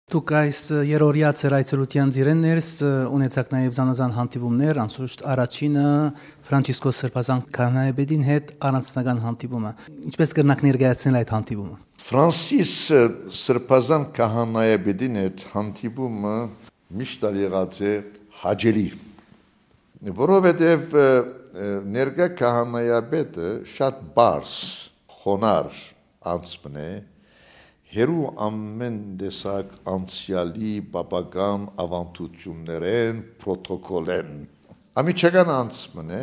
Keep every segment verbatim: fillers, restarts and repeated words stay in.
Դուք այս երրորդյա ձեր այցելութեան ծիրէն ներս ունեցաք նաև զանազան հանդիպումներ, անշուշտ առաջինը Ֆրանցիսկոս Սրբազան քահանայապետին հետ առանձնական հանդիպումը։ Ինչպե՞ս կրնաք ներկայացնել այդ հանդիպումը։ Ֆրանսիս Սրբազան քահանայապետին հետ հանդիպումը միշտ ալ եղած է հաճելի, որովհետև, ը, ը, ներկայ քահանայապետը շատ պարզ, խոնար անձ մըն է, հեռու ամէն տեսակ անցեալի պապական աւանդութիւններէն, պրոտոկոլէն։ Անմիջական անձ մըն է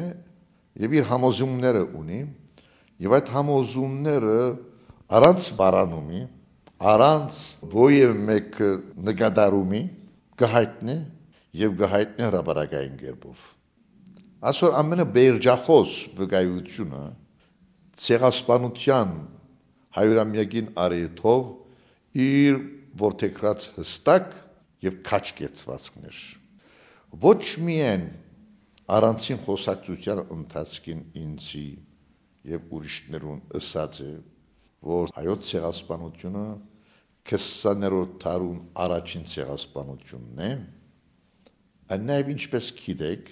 եւ իր համոզումները ունի, եւ այդ համոզումները առանց վարանումի, առանց որեւէ մէկ նկատառումի կը յայտնէ եւ կը յայտնէ հրապարակային կերպով։ Այսօր ամենը վերջախոս վկայութիւնը ցեղասպանութեան հարիւրամեակին առիթով իր որդեգրած յստակ եւ քաջ կեցուածքներ։ Ոչ միայն առանցին խօսակցութեան ընթացքին ինծի եւ ուրիշներուն ըսած է, որ հայոց ցեղասպանութիւնը քսաներորդ դարուն առաջին ցեղասպանութիւնն է, այն նաեւ, ինչպէս գիտեք,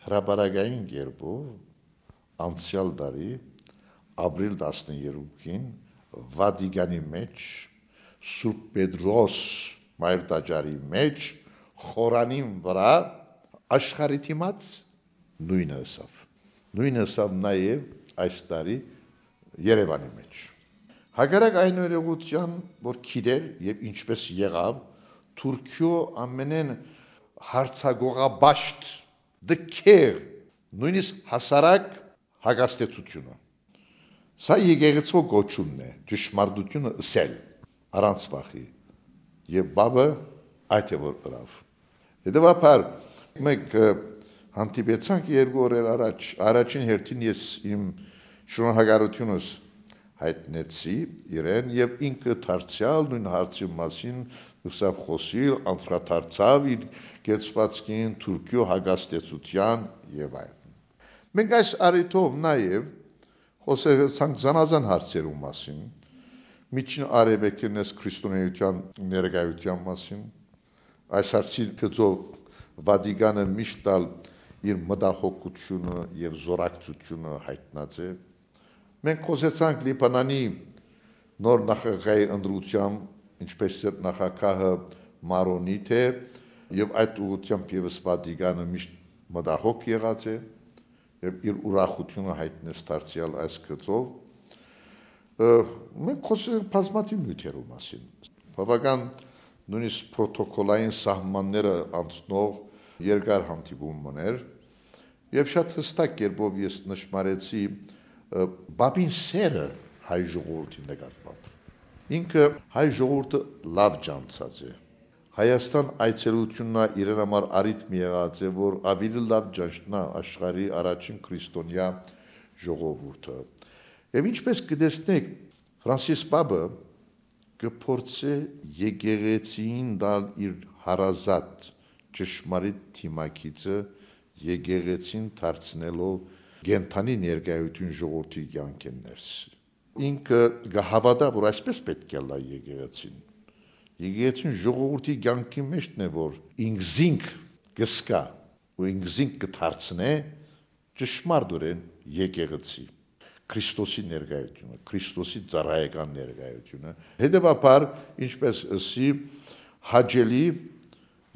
հրապարակային կերպով անցեալ տարի ապրիլ տասներկուին Վատիկանի մէջ Սուրբ Պետրոս մայր տաճարի մէջ խորանին վրայ աշխարհի դիմաց նոյնը ըսաւ։ Նոյնը ըսաւ նաեւ այս տարի Երեւանի մէջ։ Հակառակ այն օրինակութեան, որ գիտեր եւ ինչպէս եղաւ, Թուրքիոյ ամենէն յարձակողապաշտ, դքեղ, նոյնիսկ հասարակ հակազդեցութիւնը։ Սա եկեղեցւոյ կոչումն է, ճշմարտութիւնը ըսել, առանց վախի։ Եւ Պապը այդ է որ ըրաւ։ Հետեւաբար, մենք, ը, հանդիպեցանք երկու օրեր առաջ, առաջին հերթին ես իմ շնորհակալութիւնս յայտնեցի իրեն, եւ ինքը դարձեալ նոյն հարցի մասին սկսաւ խօսիլ, անդրադարձաւ իր կեցուածքին, Թուրքիոյ հակազդեցութեան եւ այլն։ Մենք այս առիթով նաեւ խօսեցանք զանազան հարցերու մասին, Միջին Արեւելքին այս քրիստոնէութեան ներկայութեան մասին։ Այս հարցի գծով Վատիկանը միշտ ալ իր մտահոգութիւնը եւ զօրակցութիւնը յայտնած է։ Մենք խօսեցանք Լիբանանի նոր նախագահի ընտրութեան, ինչպէս ձեր նախագահը Մարոնի թէ, եւ այդ ուղղութեամբ եւս Վատիկանը միշտ մտահոգ եղած է եւ իր ուրախութիւնը յայտնեց դարձեալ այս գծով։ Ը, մենք խօսեցինք բազմաթիւ նիւթերու մասին։ Բաւական նոյնիսկ պրոտոկոլային սահմանները անցնող երկար հանդիպում մըն էր, եւ շատ յստակ կերպով ես նշմարեցի, ը, Պապին սերը հայ ժողովրդի նկատմամբ։ Ինքը հայ ժողովուրդը լաւ ճանչցած է։ Հայաստան այցելութիւնն ալ իրեն համար առիթ մը եղած է, որ աւելի լաւ ճանչնայ աշխարհի առաջին քրիստոնեայ ժողովուրդը։ Եւ ինչպէս կը տեսնէք, Ֆրանսիս Պապը կը փորձէ եկեղեցիին տալ իր հարազատ, ճշմարիտ դիմագիծը, եկեղեցին դարձնելով կենդանի ներկայութիւն ժողովրդի կեանքէն ներս։ Ինքը կը հաւատայ, որ այսպէս պէտք է ըլլայ եկեղեցին։ Եկեղեցին ժողովրդի կեանքի մէջն է, որ ինքզինք կը զգայ ու ինքզինք կը դարձնէ ճշմարտօրէն եկեղեցի, Քրիստոսի ներկայութիւնը, Քրիստոսի ծառայական ներկայութիւնը։ Հետեւաբար, ինչպէս ըսի, հաճելի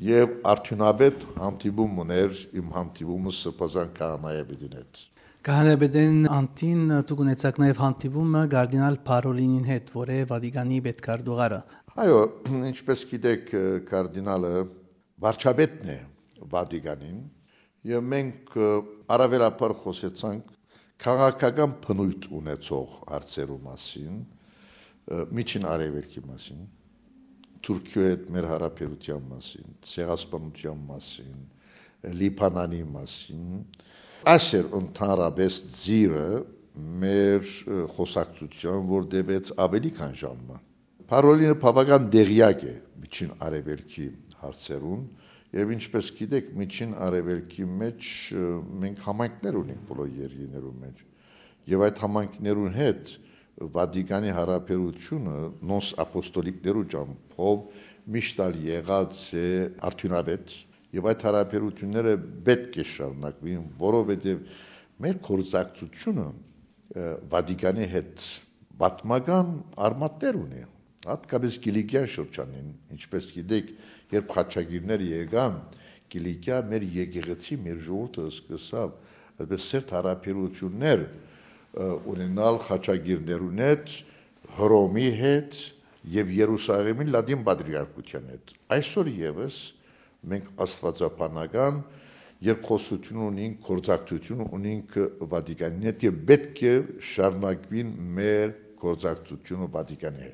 եւ արդիւնաւէտ հանդիպում մըն էր իմ հանդիպումը Սրբազան քահանայապետին հետ։ Քահանայապետին Անտին, դուք ունեցաք նաեւ հանդիպումը կարդինալ Փարոլինին հետ, որ է Վատիկանի պետքարտուղարը։ Այո, ինչպէս գիտեք, կարդինալը վարչապետն է Վատիկանին, եւ մենք, ը, առաւելաբար խօսեցանք քաղաքական բնոյթ ունեցող հարցերու մասին, ը, Միջին Արեւելքի մասին, Թուրքիոյ հետ մեր հարաբերութեան մասին, ցեղասպանութեան մասին, Լիբանանի մասին։ Այս էր ընդհանրապես ծիրը մեր, ը, խօսակցութեան, որ տեւեց աւելի քան ժամ մը։ Փարոլինը բաւական տեղեակ է Միջին Արեւելքի հարցերուն, եւ ինչպէս գիտեք, Միջին Արեւելքի մէջ, ը, մենք համայնքներ ունենք բոլոր երկիրներու մէջ, եւ այդ համայնքներուն հետ Վատիկանի հարաբերութիւնը նոնս ապոստոլիկներու ճամբով միշտ ալ եղած է արդիւնաւէտ եւ այդ յարաբերութիւնները պէտք է շարունակուին, որովհետեւ մեր գործակցությունը Վատիկանի հետ պատմական արմատներ ունի, հատկապես Կիլիկիա շրջանին, ինչպես գիտեք, երբ խաչակիրները եկան Կիլիկիա, մեր եկեղեցի, մեր ժողովուրդը սկսաւ այսպես սերտ յարաբերութիւններ ունենալ խաչակիրներուն հետ, Հռոմի հետ եւ Երուսաղեմի Լատին Պատրիարքութեան հետ։ Այսօր եւս մենք աստուածաբանական երկխոսութիւն ունինք, գործակցութիւն ունինք Վատիկանին հետ եւ պէտք է շարունակուին մեր գործակցութիւնը Վատիկանի հետ։